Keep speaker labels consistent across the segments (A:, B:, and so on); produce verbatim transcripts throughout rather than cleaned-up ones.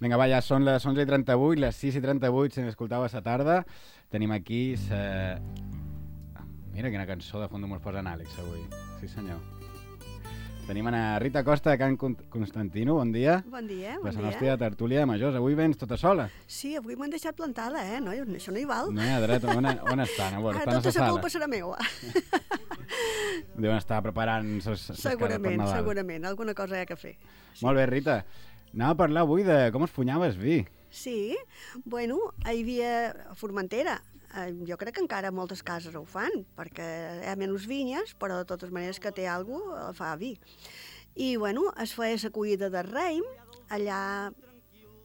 A: Vinga, va, ja són les onze i trenta-vuit, les sis i trenta-vuit, si m'escoltau a la tarda. Tenim aquí... Sa... Mira quina cançó de fons mos posa en Àlex avui. Sí, senyor. Tenim a Rita Costa de Can Constantino, bon dia.
B: Bon dia, bon dia.
A: La nostra tertúlia de majors. Avui vens tota sola.
B: Sí, avui m'han deixat plantada, eh? No, això no hi val.
A: No hi ha dret. On, on estan? Bueno,
B: ah,
A: estan
B: tota
A: a la
B: la culpa serà meva.
A: Deuen estar preparant ses, ses
B: segurament,
A: cares per Nadal.
B: Segurament, alguna cosa hi ha que fer.
A: Sí. Molt bé, Rita. Anava a parlar avui de com es punyaves vi.
B: Sí, bueno, hi havia a Formentera. Jo crec que encara moltes cases ho fan, perquè hi ha menys vinyes, però de totes maneres que té alguna cosa fa vi. I, bueno, es feia la collida de raïm, allà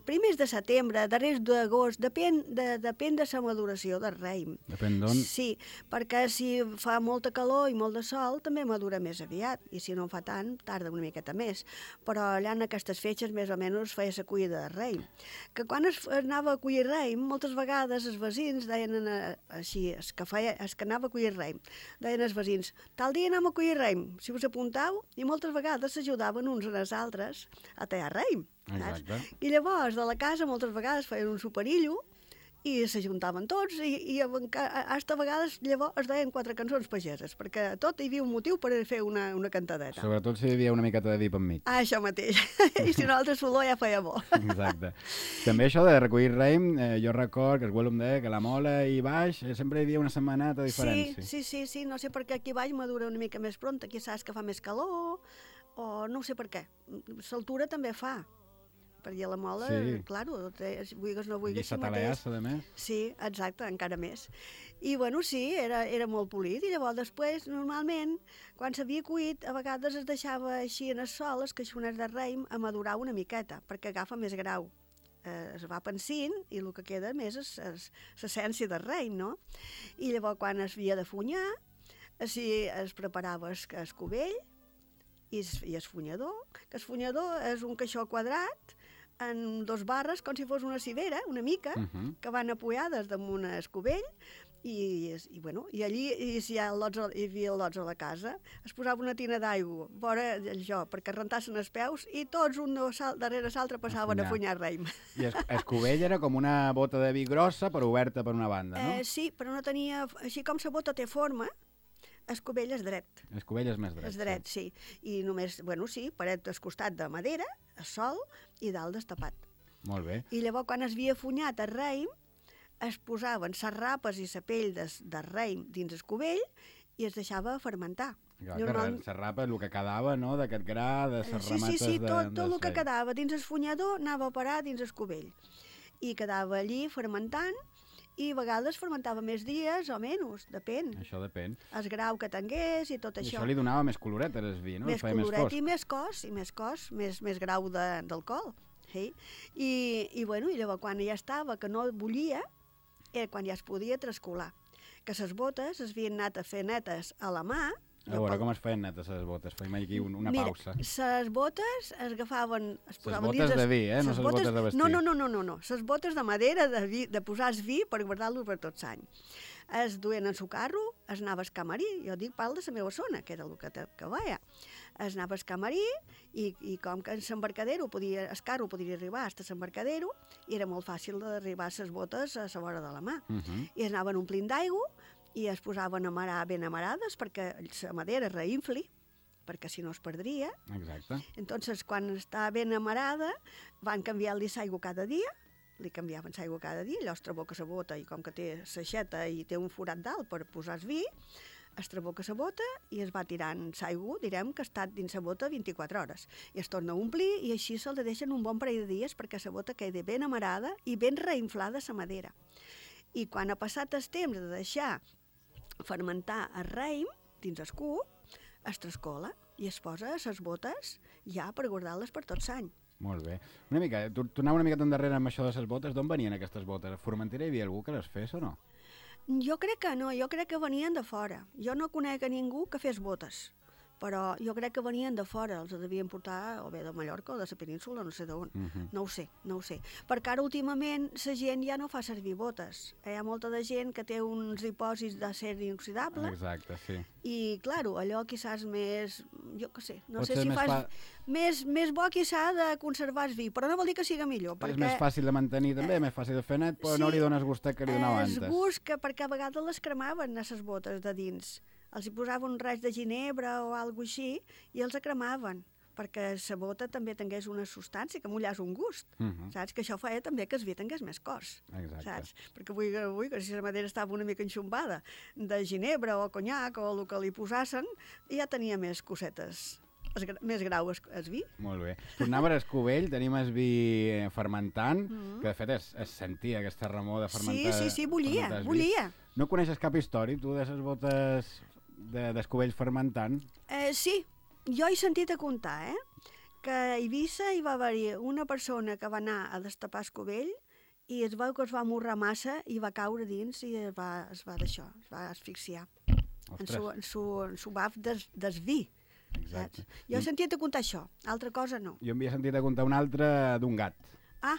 B: primers de setembre, darrers d'agost, depèn de, depèn de la maduració del raïm.
A: Depèn d'on?
B: Sí, perquè si fa molta calor i molt de sol, també madura més aviat, i si no en fa tant, tarda una miqueta més. Però allà en aquestes fetges, més o menys, feia la collida de raïm. Que quan es, es anava a collir raïm, moltes vegades els veïns deien a, així, es que, feia, es que anava a collir raïm, deien els veïns, tal dia anem a collir raïm, si us apuntau, i moltes vegades s'ajudaven uns als altres a tallar raïm.
A: Exacte.
B: I llavors de la casa moltes vegades feien un superillo i s'ajuntaven tots i, i hasta a vegades llavors es deien quatre cançons pageses, perquè tot hi havia un motiu per fer una, una cantadeta.
A: Sobretot si hi havia una miqueta de vi per mig.
B: Ah, això mateix. I si no altre solor ja feia bo.
A: Exacte. També això de recollir raïm, eh, jo record que el abuelo em deia que la mola i baix eh, sempre hi havia una setmaneta de diferència.
B: Sí, sí, sí, sí, no sé per què aquí baix madura una mica més pront, aquí saps que fa més calor, o no sé per què. L'altura també fa. Perquè la mola,
A: sí.
B: claro, vulguis no vulguis...
A: I s'ataleassa, de més.
B: Sí, exacte, encara més. I, bueno, sí, era, era molt polit, i llavors després, normalment, quan s'havia cuit, a vegades es deixava així en el sol, els caixoners de raïm, a madurar una miqueta, perquè agafa més grau. Eh, es va pensint, i el que queda més és l'essència del raïm, no? I llavors, quan es havia de funyar, així es preparava el, el cubell, i es, i el funyador, que el funyador és un caixó quadrat, en dos barres, com si fos una civera, una mica, uh -huh. que van apoyades damunt el cubell, i, i, bueno, i allí i si hi, ha lots, hi havia lots a la casa, es posava una tina d'aigua, vora allò, perquè rentassin els peus, i tots un darrere l'altre passaven a funyar raïm.
A: I el, el cubell era com una bota de vi grossa, però oberta per una banda, no?
B: Eh, sí, però no tenia... Així com la bota té forma, el cubell és dret.
A: El cubell és més dret.
B: És dret, sí. sí. I només, bueno, sí, paret al costat de madera, a sol, i dalt destapat.
A: Molt bé.
B: I llavors, quan es havia funyat el raïm, es posaven les rapes i la pell de, de raïm dins el cubell i es deixava fermentar.
A: Clar, Normal... que la rapa, el que quedava, no?, d'aquest gra, de les
B: sí,
A: ramates...
B: Sí, sí, sí, tot,
A: de,
B: tot el que quedava dins el funyador anava a parar dins el cubell. I quedava allí fermentant, i a vegades fermentava més dies o menys, depèn.
A: Això depèn.
B: El grau que tingués i tot
A: I
B: això.
A: això li donava més coloret al vi, no?
B: Més coloret i més cos, i més cos, més, més grau d'alcohol. Sí? I, i, bueno, i llavors quan ja estava, que no bullia, era quan ja es podia trascolar. Que les botes es havien anat a fer netes a la mà.
A: A veure, com es feien netes les botes? Fem aquí una
B: Mira,
A: pausa.
B: Les botes es agafaven... Es
A: les botes de vi, eh? No les botes de vestir.
B: No, no, no, no, no, no. Les botes de madera de, vi, de posar el vi per guardar-lo per tot l'any. Es duien en su carro, es anava al camarí, jo dic pal de la meva zona, que era el que, que veia. Es anava al camarí i, i com que en l'embarcadero, podia, el carro podia arribar fins a l'embarcadero, i era molt fàcil d'arribar a les botes a la vora de la mà. Uh -huh. I es anaven omplint d'aigua, i es posaven a amarar ben amarades perquè la madera reinfli, perquè si no es perdria.
A: Exacte.
B: Entonces, quan està ben amarada, van canviar-li l'aigua cada dia, li canviaven l'aigua cada dia, allò es traboca la bota, i com que té l'aixeta i té un forat dalt per posar el vi, es traboca la bota i es va tirant l'aigua, direm que ha estat dins la bota vint-i-quatre hores. I es torna a omplir i així se'l deixen un bon parell de dies perquè la bota quedi ben amarada i ben reinflada la madera. I quan ha passat el temps de deixar fermentar el raïm dins el cup, es trascola i es posa a les botes ja per guardar-les per tot l'any.
A: Molt bé. Una mica, tornava una mica endarrere amb això de les botes. D'on venien aquestes botes? A Formentera hi havia algú que les fes o no?
B: Jo crec que no, jo crec que venien de fora. Jo no conec a ningú que fes botes, però jo crec que venien de fora, els devien portar o bé de Mallorca o de la península, no sé d'on, uh -huh. no ho sé, no ho sé. Perquè ara últimament la gent ja no fa servir botes. Hi ha molta de gent que té uns dipòsits d'acer inoxidable.
A: Exacte, sí.
B: I, claro, allò quizás més, jo què sé, no
A: Pot
B: sé
A: ser
B: si
A: més
B: fas...
A: fa-
B: Més, més bo quizá de conservar vi, però no vol dir que siga millor,
A: És
B: perquè...
A: més fàcil de mantenir també, eh, més fàcil de fer net, però
B: sí,
A: no li dones gustet que li donava
B: Es
A: antes.
B: gust que perquè a vegades les cremaven a les botes de dins. Els hi posaven un raig de ginebra o alguna així i els cremaven perquè la bota també tingués una substància que mullàs un gust,
A: Uh -huh.
B: saps? Que això feia també que el vi tingués més cos,
A: Exacte.
B: saps? Perquè avui, avui que si la madera estava una mica enxumbada de ginebra o conyac o el que li posassen, ja tenia més cosetes, es, més grau es, es vi.
A: Molt bé. Tornava a Escovell, tenim el vi eh, fermentant,
B: Mm -hmm.
A: que de fet es, es sentia aquesta remor de fermentar.
B: Sí, sí, sí, bullia,
A: fermentar el vi.
B: bullia.
A: No coneixes cap història, tu, de les botes de- d'Escovell fermentant?
B: Eh, sí, jo he sentit a contar, eh? Que a Eivissa hi va haver-hi una persona que va anar a destapar Escovell i es veu que es va morrar massa i va caure dins i es va, es va d'això, es va asfixiar en
A: Ostres,
B: su, en su, en su baf des, des vi.
A: exacte.
B: Saps? Jo he sentit a contar això, altra cosa no.
A: Jo m'havia sentit a contar un altre d'un gat.
B: Ah,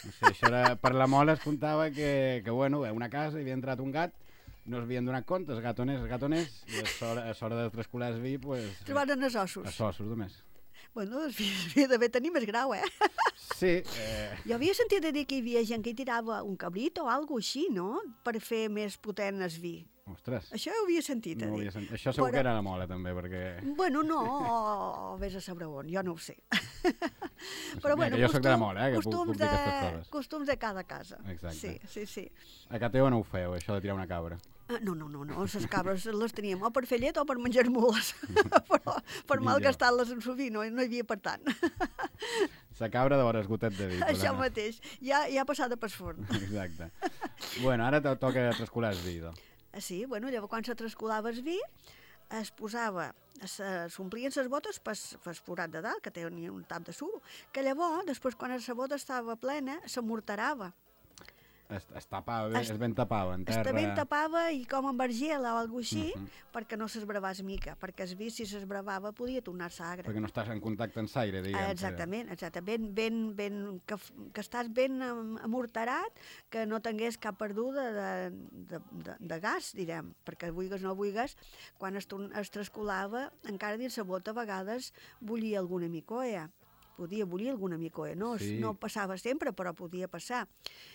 A: No sé, això era, per la mola es contava que, que bueno, a una casa hi havia entrat un gat, no s'havien donat compte, els gatoners, els gatoners, i a l'hora, a l'hora de trascolar el vi, pues,
B: trobaren els ossos.
A: els ossos només.
B: Bueno, es havia d'haver tenir més grau, eh?
A: Sí, eh,
B: Jo havia sentit a dir que hi havia gent que hi tirava un cabrit o alguna així, no?, per fer més potent el vi.
A: ostres,
B: Això ho havia sentit a
A: no ho
B: dir.
A: havia sentit. Això segur
B: Però-
A: que era la mola també, perquè...
B: Bueno, no, o, o vés a saber on, jo no ho sé.
A: Mira, que jo soc de la mola, eh, que puc-
B: costums,
A: puc dir aquestes
B: de,
A: coses.
B: costums de cada casa.
A: Exacte.
B: Sí, sí, sí.
A: A Cateo no ho feu, això de tirar una cabra.
B: Ah, no, no, no, no, les cabres les teníem o per fer llet o per menjar mules, però per
A: Millor.
B: malgastar-les en suvi no, no hi havia per tant.
A: La cabra de vores gotet de vi.
B: Això
A: perdona.
B: mateix, ja, ja passada per forn.
A: Exacte. Bueno, ara te toca trascolar el vi, doncs.
B: Ah, sí, bueno, llavors quan se trascolava el vi, es posava, s'omplien les botes pel forat de dalt, que tenia un tap de suro, que llavors, després quan la bota estava plena, s'amortarava.
A: Es, es tapava bé,
B: Es-
A: es ben tapava en terra.
B: Està ben tapava i com amb argila o alguna així,
A: Mhm.
B: perquè no s'esbravàs mica, perquè el vi, si s'esbravava, podia tornar-se agre.
A: Perquè no estàs en contacte amb l'aire, diguem.
B: Ah, exactament, exactament, ben, ben, ben, que, f- que estàs ben am- amortarat, que no tingués cap perduda de, de, de, de gas, direm, perquè vulgues o no vulgues, quan es, torn- es trascolava, encara dins la bota a vegades bullia alguna micoia, podia bullir alguna micoia, no,
A: Sí.
B: no passava sempre, però podia passar.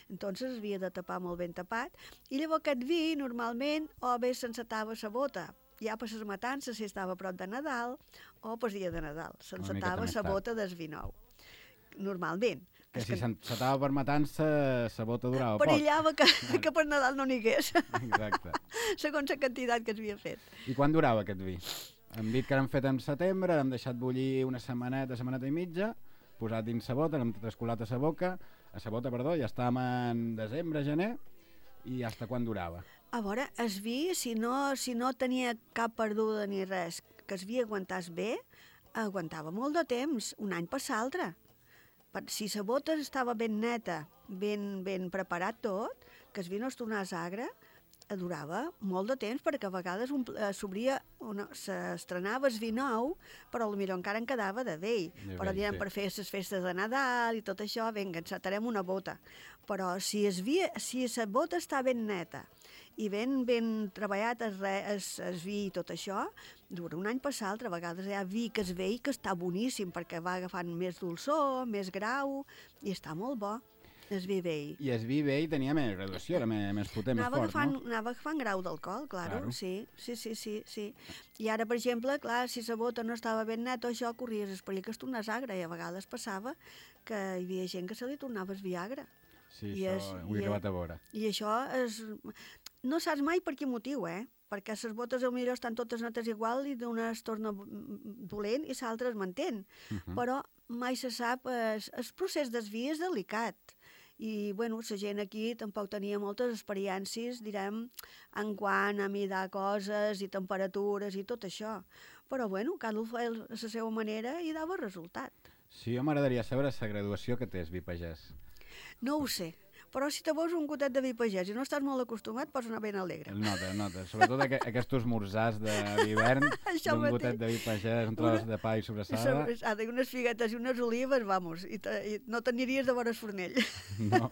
B: Entonces havia de tapar molt ben tapat, i llavors aquest vi normalment o bé s'encetava la bota, ja per les matances si estava a prop de Nadal, o per dia de Nadal,
A: miqueta
B: s'encetava
A: més
B: la
A: tard.
B: bota del vi nou. Normalment.
A: Que
B: És
A: si s'encetava per matança, la bota durava poc.
B: perillava que, que per Nadal no n'hi hagués,
A: Exacte.
B: segons la quantitat que s'havia fet.
A: I quan durava aquest vi? Hem dit que l'hem fet en setembre, l'hem deixat bullir una setmaneta, setmaneta i mitja, posat dins la bota, l'hem trascolat a la boca, a la bota, perdó, ja estàvem en desembre, gener, i fins quan durava?
B: A veure, el vi, si no, si no tenia cap perduda ni res, que el vi aguantàs bé, aguantava molt de temps, un any per l'altre. Per- Si la bota estava ben neta, ben, ben preparat tot, que el vi no es tornés agre, eh, durava molt de temps, perquè a vegades ompl- eh, s'obria, una- s'estrenava el vi nou, però potser encara en quedava de vell.
A: De
B: Però
A: vell,
B: diem,
A: sí.
B: per fer les festes de Nadal i tot això, vinga, encetarem una bota. Però si es vi, si la bota està ben neta i ben, ben treballat el, re, el, el vi i tot això, dura un any per l'altre. A vegades hi ha vi que es vell que està boníssim perquè va agafant més dolçor, més grau, i està molt bo, el vi vell.
A: I el vi vell tenia més graduació, era més, més potent, més
B: Anava
A: fort,
B: agafant,
A: no?
B: anava agafant grau d'alcohol, claro,
A: Claro.
B: sí, sí, sí, sí, sí. I ara, per exemple, clar, si la bota no estava ben neta, això corries el perill que es tornés agre, i a vegades passava que hi havia gent que se li tornava el vi agre.
A: Sí,
B: I
A: això
B: és-
A: ho he
B: i
A: acabat a veure.
B: I això és... No saps mai per quin motiu, eh? Perquè les botes potser estan totes netes igual i d'una es torna mm, dolent i l'altra es manté.
A: Mhm.
B: Però mai se sap, el, el procés del vi és delicat. I, bueno, la gent aquí tampoc tenia moltes experiències, direm, en quant a midar coses i temperatures i tot això. Però, bueno, cada un fa el- a la seva manera i dava resultat.
A: Sí, jo m'agradaria saber la graduació que té el vi pagès.
B: No ho sé, Però si te veus un gotet de vi pagès i no estàs molt acostumat, pots anar ben alegre.
A: El nota, el nota. Sobretot aqu aquests esmorzars d'hivern, d'un gotet de vi pagès, un tros de pa i sobrassada.
B: Sobrassada i unes figuetes i unes olives, vamos, i, te, i no t'aniries de vora Fornell.
A: No,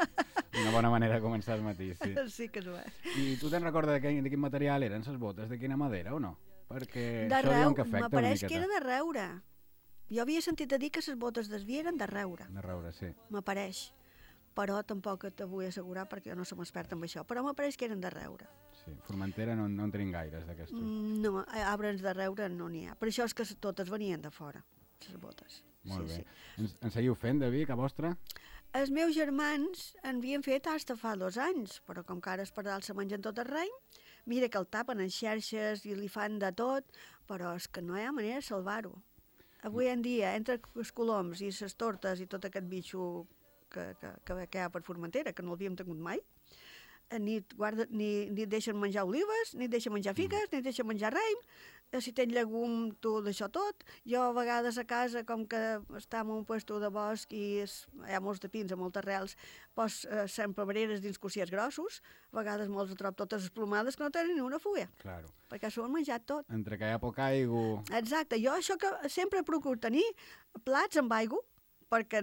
A: una bona manera de començar el matí, sí.
B: Sí que és bé.
A: I tu te'n recordes de quin, de quin material eren les botes? De quina madera o no? Perquè
B: de
A: això
B: reu,
A: diuen que afecta una
B: m'apareix
A: miqueta.
B: que era de reure. Jo havia sentit a dir que les botes d'esví eren de reure.
A: De reure, sí.
B: M'apareix. Però tampoc te vull assegurar perquè jo no som experta en això. Però m'apareix que eren de reure.
A: Sí, Formentera no, no en tenim gaires d'aquestos.
B: Mm, no, arbres de reure no n'hi ha. Per això és que totes venien de fora, les botes.
A: Molt
B: sí,
A: bé.
B: Sí.
A: Ens, en seguiu fent de vi, que vostre?
B: Els meus germans en havien fet fins fa dos anys, però com que ara es pardal se mengen tot el rei, mira que el tapen en xerxes i li fan de tot, però és que no hi ha manera de salvar-ho. Avui en dia, entre els coloms i les tortes i tot aquest bitxo que, que, que, que hi ha per Formentera, que no l'havíem tingut mai, ni, guarda, ni, ni et deixen menjar olives, ni et deixen menjar figues, mm. ni et deixen menjar raïm, si tens llegum, tu d'això tot. Jo a vegades a casa, com que està en un puesto de bosc i és, hi ha molts de pins, a moltes arrels, pos eh, sempre breres dins cossiers grossos, a vegades molts trob totes esplomades que no tenen ni una fulla,
A: Claro.
B: perquè s'ho han menjat tot.
A: Entre que hi ha poc aigua...
B: Exacte, jo això que sempre procuro tenir plats amb aigua, perquè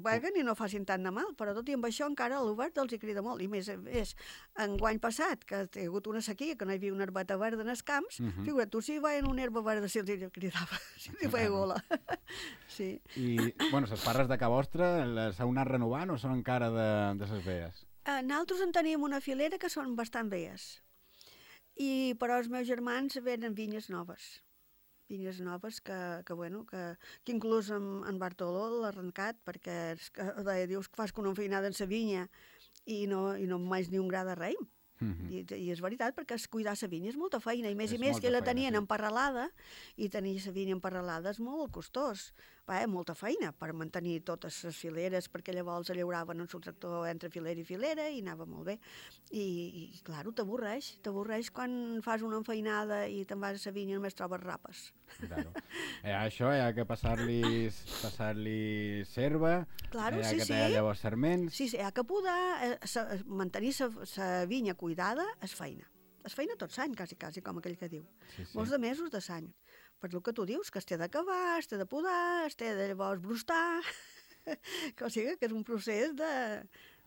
B: beguen i no facin tant de mal, però tot i amb això encara l'obert els hi crida molt, i més és enguany passat, que hi ha hagut una sequia, que no hi havia una herbeta verda en els camps, uh
A: Mhm.
B: -huh. figura't tu, si veien una herba verda, si els hi cridava, si els hi feia gola. Sí.
A: I, bueno, les parres de ca vostra, les heu anat renovant o són encara de, de ses veies?
B: Eh, Nosaltres en teníem una filera que són bastant veies, i però els meus germans venen vinyes noves. Vinyes noves que, que bueno, que, que inclús en, en Bartoló l'ha arrencat, perquè és que, deia, dius que fas con una feinada en sa vinya i no, i no més ni un gra de raïm.
A: Mhm.
B: I, I és veritat, perquè es cuidar sa vinya és molta feina, i més
A: És
B: i més
A: molta
B: que la
A: feina,
B: tenien
A: sí.
B: emparrelada, i tenir sa vinya emparrelada és molt costós. Va, eh, molta feina per mantenir totes les fileres, perquè llavors llauraven en el tractor entre filera i filera i anava molt bé. I, i clar, t'avorreix, t'avorreix quan fas una enfeinada i te'n vas a sa vinya i només trobes rapes.
A: Claro. Eh, això hi ha que passar-li passar-li serva,
B: Claro,
A: hi ha
B: sí,
A: que
B: sí.
A: tallar llavors serments...
B: Sí, sí, hi ha que podar, eh, sa, mantenir sa vinya cuidada és feina. És feina tot l'any, quasi, quasi, com aquell que diu.
A: Sí, sí.
B: Molts de mesos de l'any. Per el que tu dius, que es té d'acabar, es té de podar, es té de llavors brustar, que o sigui que és un procés de,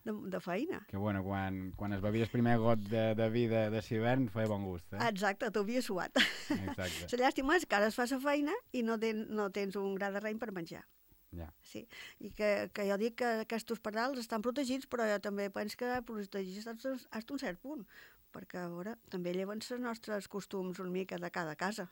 B: de, de feina.
A: Que bueno, quan, quan es bevia el primer got de, de vi de, de s'hivern feia bon gust, eh?
B: Exacte, t'ho havia suat.
A: Exacte.
B: La llàstima és que ara es fa la feina i no, ten, no tens un gra de raïm per menjar.
A: Ja.
B: Sí, i que, que jo dic que aquests pardals estan protegits, però jo també penso que protegits fins a un cert punt, perquè a veure, també lleven els nostres costums una mica de cada casa.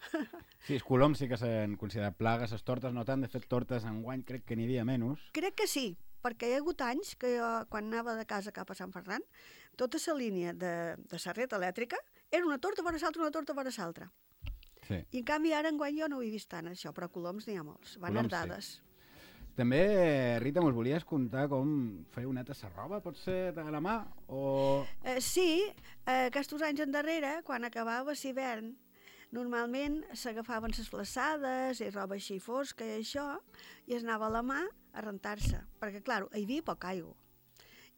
A: Sí, els coloms sí que s'han considerat plagues, les tortes no tant, de fet tortes enguany crec que n'hi havia menys.
B: Crec que sí, perquè hi ha hagut anys que jo, quan anava de casa cap a Sant Ferran, tota la línia de, de serreta elèctrica era una torta vora l'altra, una torta vora l'altra.
A: Sí.
B: I en canvi ara enguany jo no ho he vist tant, això, però coloms n'hi ha molts, van
A: Coloms,
B: herdades.
A: sí. També, Rita, mos volies contar com feu neta la roba, pot ser a la mà? O...
B: Eh, sí, eh, aquests anys endarrere, quan acabava l'hivern, normalment s'agafaven les flaçades i roba així fosca i això, i es anava a la mà a rentar-se, perquè, clar, hi havia poca aigua.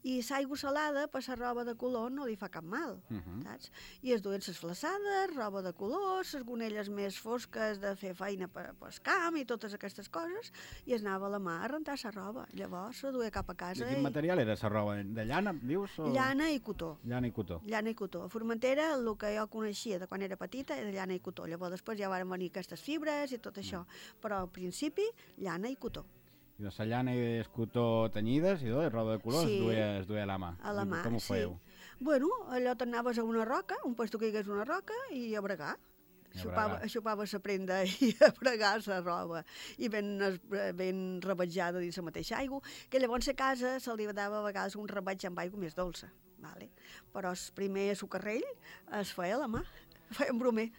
B: I l'aigua salada, per la roba de color, no li fa cap mal,
A: Uh -huh.
B: saps? I es duien les flaçades, roba de color, les gonelles més fosques de fer feina per, per camp i totes aquestes coses, i es anava a la mà a rentar la roba. Llavors se duia cap a casa.
A: De quin
B: i...
A: material era la roba? De llana, dius? O...
B: Llana i cotó.
A: Llana i cotó.
B: Llana i cotó. A Formentera, el que jo coneixia de quan era petita era llana i cotó. Llavors després ja van venir aquestes fibres i tot això. Però al principi, llana i cotó.
A: I de la llana i el cotó tenyides i tot, roba de color,
B: Sí.
A: es, duia, es duia a la mà.
B: A la mà,
A: Com ho
B: sí.
A: fèieu?
B: Bueno, allò t'anaves a una roca, un puesto que hi hagués una roca, i a bregar.
A: I a
B: Xupava,
A: bregar.
B: xupava la prenda i a bregar la roba. I ben, es- ben rebatjada dins la mateixa aigua, que llavors a casa se li dava a vegades un rebatge amb aigua més dolça. Vale? Però el primer sucarrell es feia a la mà. Feia un bromer.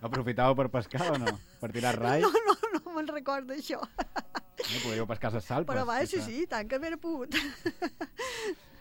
A: Aprofitàveu per pescar o no? Per tirar rai?
B: No, no, no me'n recordo això.
A: No podíeu pescar les salpes.
B: Però va, sí,
A: quizá.
B: sí, tant que m'era pogut.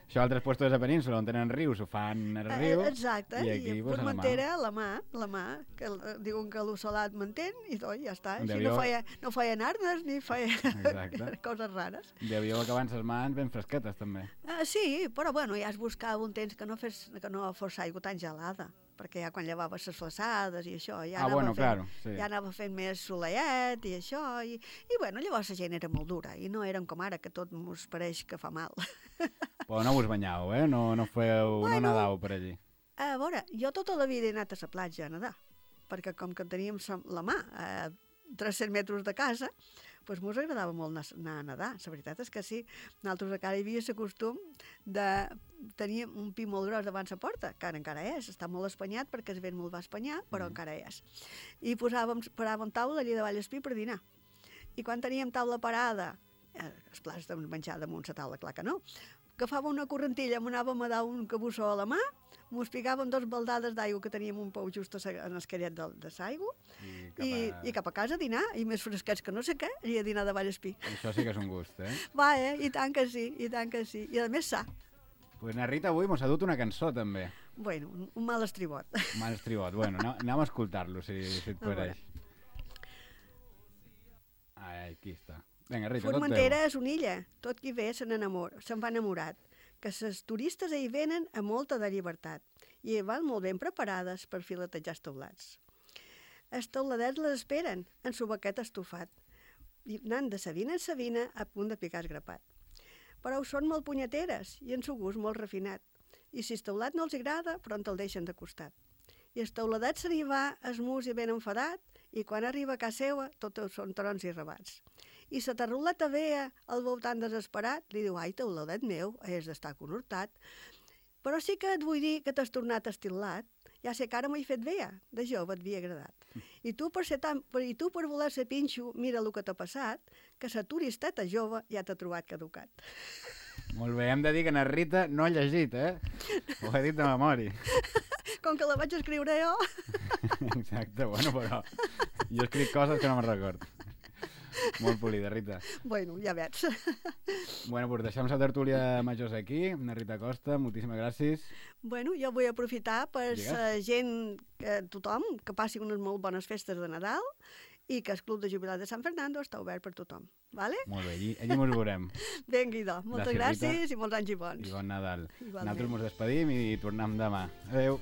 A: Això altres puestos de la península on tenen rius ho fan al riu.
B: Eh, exacte,
A: i aquí
B: i
A: pues, a la mà.
B: Formentera, la mà, la mà, que l- diuen que l'ossalat mantén i tot, ja està. Així
A: Devíeu-
B: no feia, no feien arnes ni feia
A: Exacte.
B: coses rares.
A: Devíeu acabar les mans ben fresquetes, també.
B: Uh, sí, però bueno, ja es buscava un temps que no, fes, que no fos aigua tan gelada, perquè ja quan llevaves les flaçades i això, ja,
A: Ah,
B: anava,
A: bueno,
B: fent,
A: claro, sí.
B: ja anava fent més soleiet i això, i, i bueno, llavors la gent era molt dura, i no érem com ara, que tot mos pareix que fa mal.
A: Però no us banyau, eh? No, no feu,
B: Bueno.
A: no nedau per allí.
B: A veure, jo tota la vida he anat a la platja a nedar, perquè com que teníem sa- la mà a tres-cents metres de casa, doncs mos agradava molt anar anar a nedar. La veritat és que sí. Nosaltres encara hi havia el costum de tenir un pi molt gros davant la porta, que ara encara és, està molt espanyat perquè el vent molt va espanyar, però
A: Mm.
B: encara és. I posàvem, paràvem taula allà davall el pi per dinar. I quan teníem taula parada, eh, els plats de menjar damunt la taula, clar que no, agafàvem una correntilla, m'anàvem a dar un cabussó a la mà, mos picàvem dos baldades d'aigua que teníem un pou just a sa- en el caret de, de l'aigua,
A: I cap
B: i,
A: a...
B: i cap a casa a dinar, i més fresquets que no sé què, i a dinar davall el pi.
A: Això sí que és un gust, eh?
B: Va, eh? I tant que sí, i tant que sí. I a més sa.
A: Pues na Rita avui mos ha dut una cançó, també.
B: Bueno, un, un mal estribot.
A: Mal estribot. Bueno, anem, anem a escoltar-lo, si, si et
B: A veure.
A: pareix. Ai, aquí està. Vinga, Rita, tot
B: Formentera
A: teu.
B: és una illa. Tot qui ve se n'enamora, se'n va enamorat. Que les turistes hi venen a molta de llibertat i hi van molt ben preparades per filetejar els teulats. Els teuladets les esperen en su baquet estufat i anant de sabina en sabina a punt de picar el grapat. Però ho són molt punyeteres i en su gust molt refinat. I si el teulat no els agrada, pront el deixen de costat. I el teuladet se n'hi va, esmus i ben enfadat, i quan arriba a casa seva, tot són trons i rebats. I la tarruleta vea, al veu tan desesperat, li diu, ai, teuladet meu, has d'estar conhortat. Però sí que et vull dir que t'has tornat estilat, ja sé que ara m'he fet vea, de jove et havia agradat. I tu per, ser tan, per, i tu per voler ser pinxo, mira el que t'ha passat, que la turisteta jove ja t'ha trobat caducat.
A: Molt bé, hem de dir que na Rita no ha llegit, eh? Ho he dit de memòria.
B: Com que la vaig escriure jo...
A: Exacte, bueno, però jo escric coses que no me'n record. Molt polida, Rita.
B: Bueno, ja veig.
A: Bueno, pues deixem la tertúlia majors aquí. Na Rita Costa, moltíssimes gràcies.
B: Bueno, jo vull aprofitar per
A: Digues.
B: la gent, que tothom, que passi unes molt bones festes de Nadal i que el Club de Jubilats de Sant Fernando està obert per tothom. Vale?
A: Molt bé, allí, allí mos veurem.
B: Vinga, idò. Moltes
A: Gràcies, Rita.
B: gràcies i molts anys i bons.
A: I bon Nadal.
B: Igualment.
A: Nosaltres mos despedim i tornem demà. Adéu.